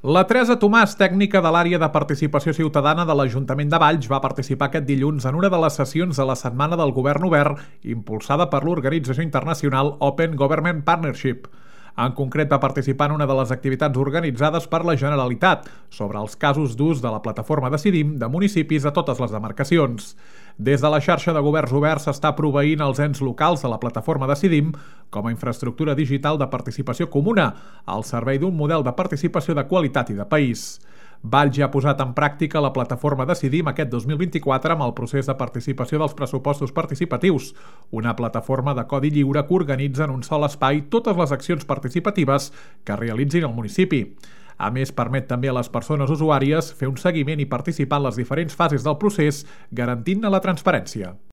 La Teresa Tomàs, tècnica de l'àrea de participació ciutadana de l'Ajuntament de Valls, va participar aquest dilluns en una de les sessions de la Setmana del Govern Obert, impulsada per l'organització internacional Open Government Partnership. En concret, va participar en una de les activitats organitzades per la Generalitat sobre els casos d'ús de la plataforma Decidim de municipis a totes les demarcacions. Des de la xarxa de governs oberts s'està proveint els ens locals de la plataforma Decidim com a infraestructura digital de participació comuna al servei d'un model de participació de qualitat i de país. Valls ja ha posat en pràctica la plataforma Decidim aquest 2024 amb el procés de participació dels pressupostos participatius, una plataforma de codi lliure que organitza en un sol espai totes les accions participatives que realitzin al municipi. A més, permet també a les persones usuàries fer un seguiment i participar en les diferents fases del procés, garantint-ne la transparència.